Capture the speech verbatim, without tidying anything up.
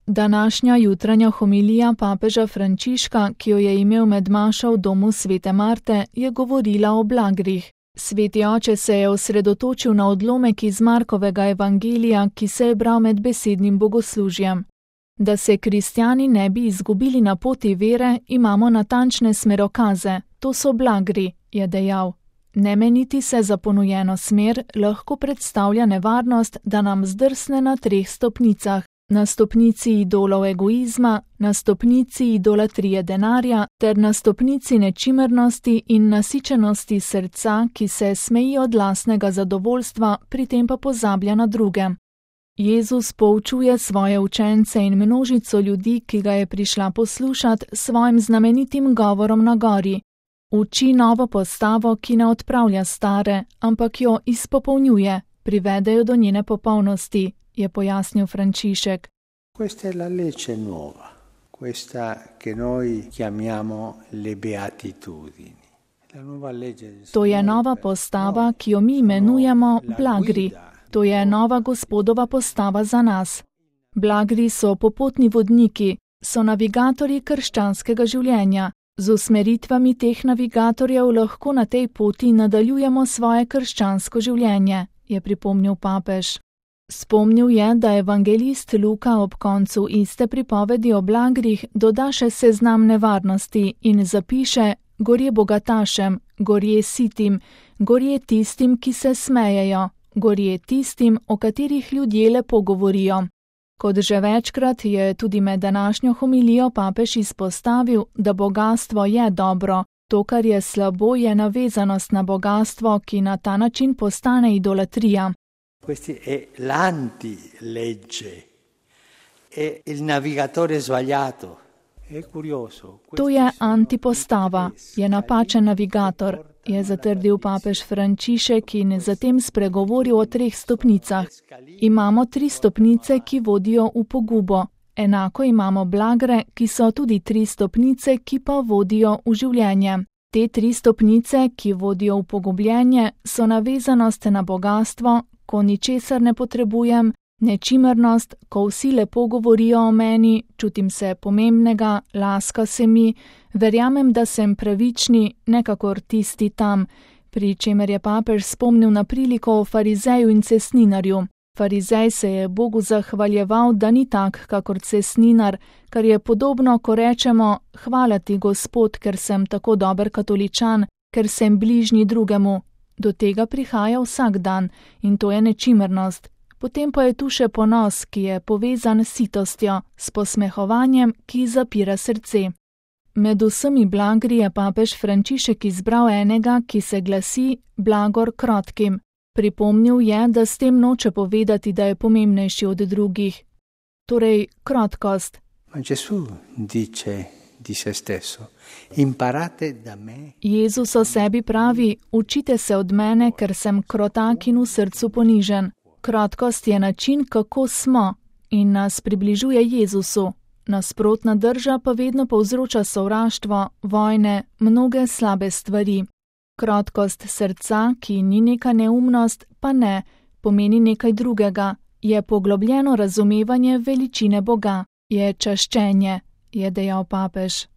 Današnja jutranja homilija papeža Frančiška, ki jo je imel med mašo v domu svete Marte, je govorila o blagrih. Sveti oče se je osredotočil na odlomek iz Markovega evangelija, ki se je bral med besednim bogoslužjem. Da se kristjani ne bi izgubili na poti vere, imamo natančne smerokaze, to so blagri, je dejal. Ne meniti se za ponujeno smer lahko predstavlja nevarnost, da nam zdrsne na treh stopnicah. Na stopnici idolov egoizma, na stopnici idolatrije denarja ter na stopnici nečimrnosti in nasičenosti srca, ki se smeji od lastnega zadovoljstva, pri tem pa pozablja na druge. Jezus poučuje svoje učence in množico ljudi, ki ga je prišla poslušat, s svojim znamenitim govorom na gori. Uči novo postavo, ki ne odpravlja stare, ampak jo izpopolnjuje, privedejo do njene popolnosti, je pojasnil Frančišek. Questa è la legge nuova, questa che noi chiamiamo le beatitudini. La nuova legge del Signore. To je nova postava, ki jo mi imenujemo blagri. To je nova Gospodova postava za nas. Blagri so popotni vodniki, so navigatorji krščanskega življenja. Z usmeritvami teh navigatorjev lahko na tej poti nadaljujemo svoje krščansko življenje, je pripomnil papež. Spomnil je, da evangelist Luka ob koncu iste pripovedi o blagrih doda še seznam nevarnosti in zapiše: gorje bogatašem, gorje sitim, gorje tistim, ki se smejejo, gorje tistim, o katerih ljudje lepo govorijo. Kot že večkrat je tudi med današnjo homilijo papež izpostavil, da bogastvo je dobro, to, kar je slabo, je navezanost na bogastvo, ki na ta način postane idolatrija. Questo è l'anti-legge, è il navigatore sbagliato. È curioso. To je antipostava, je napačen navigator, je zatrdil papež Frančišek in zatem spregovoril o treh stopnicah. Imamo tri stopnice, ki vodijo v pogubo. Enako imamo blagre, ki so tudi tri stopnice, ki pa vodijo v življenje. Te tri stopnice, ki vodijo v pogubljenje, so navezanost na bogastvo, ko ničesar ne potrebujem, nečimrnost, ko vsi lepo govorijo o meni, čutim se pomembnega, laska se mi, verjamem, da sem pravični, nekakor tisti tam, pri čemer je papež spomnil na priliko o farizeju in cestninarju. Farizej se je Bogu zahvaljeval, da ni tak, kakor cestninar, kar je podobno, ko rečemo: hvala ti, Gospod, ker sem tako dober katoličan, ker sem bližnji drugemu. Do tega prihaja vsak dan in to je nečimrnost. Potem pa je tu še ponos, ki je povezan s sitostjo, s posmehovanjem, ki zapira srce. Med vsemi blagri je papež Frančišek izbral enega, ki se glasi blagor krotkim. Pripomnil je, da s tem noče povedati, da je pomembnejši od drugih. Torej, krotkost. Ma Gesù dice di se stesso: imparate da me. Jezus o sebi pravi: učite se od mene, ker sem krotak in v srcu ponižen. Krotkost je način, kako smo, in nas približuje Jezusu. Nasprotna drža pa vedno povzroča sovraštvo, vojne, mnoge slabe stvari. Krotkost srca, ki ni neka neumnost, pa ne, pomeni nekaj drugega, je poglobljeno razumevanje veličine Boga, je čaščenje, je dejal papež.